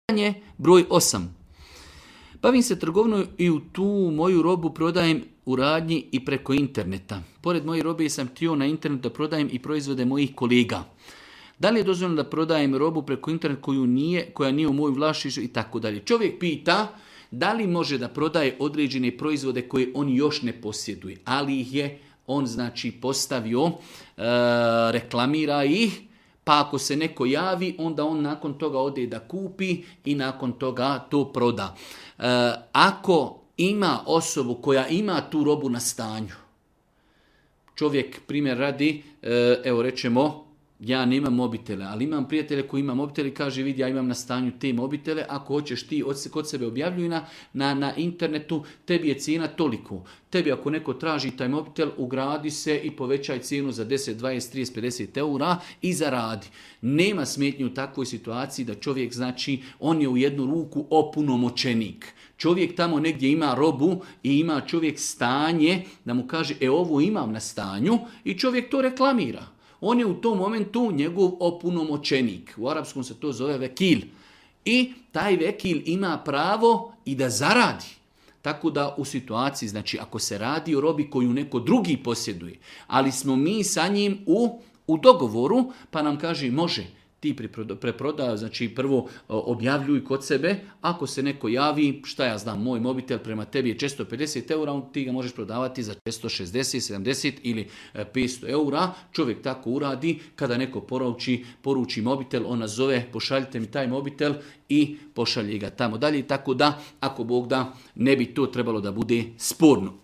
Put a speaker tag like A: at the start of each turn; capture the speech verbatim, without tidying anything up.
A: Pitanje broj osam. Bavim se trgovinom i u tu moju robu prodajem u radnji i preko interneta. Pored moje robe sam htio na internetu da prodajem i proizvode mojih kolega. Da li je dozvoljeno da prodajem robu preko interneta koju nije, koja nije u mojem vlasništvu i tako dalje. Čovjek pita da li može da prodaje određene proizvode koje on još ne posjeduje, ali ih je on znači postavio, e, reklamira ih, pa ako se neko javi, onda on nakon toga ode da kupi i nakon toga to proda. E, ako ima osobu koja ima tu robu na stanju, čovjek primjer radi, e, evo rečemo, ja nemam mobitele, ali imam prijatelje koji ima mobitele i kaže vidi ja imam na stanju te mobitele, ako hoćeš ti kod sebe objavljuj na, na, na internetu, tebi je cijena toliko. Tebi ako neko traži taj mobitel, ugradi se i povećaj cijenu za deset, dvadeset, trideset, pedeset eura i zaradi. Nema smetnje u takvoj situaciji da čovjek znači on je u jednu ruku opunomoćenik. Čovjek tamo negdje ima robu i ima čovjek stanje da mu kaže e ovo imam na stanju i čovjek to reklamira. On je u tom momentu njegov opunomoćenik. U arapskom se to zove vekil. I taj vekil ima pravo i da zaradi. Tako da u situaciji, znači ako se radi o robi koju neko drugi posjeduje, ali smo mi sa njim u, u dogovoru, pa nam kaže može, ti preproda, znači prvo objavljuj kod sebe, ako se neko javi, šta ja znam, moj mobitel prema tebi je četiristo pedeset eura, ti ga možeš prodavati za četiristo šezdeset, sedamdeset ili petsto eura, čovjek tako uradi, kada neko poruči, poruči mobitel, on nazove, pošaljite mi taj mobitel i pošalje ga tamo dalje, tako da, ako Bog da, ne bi to trebalo da bude sporno.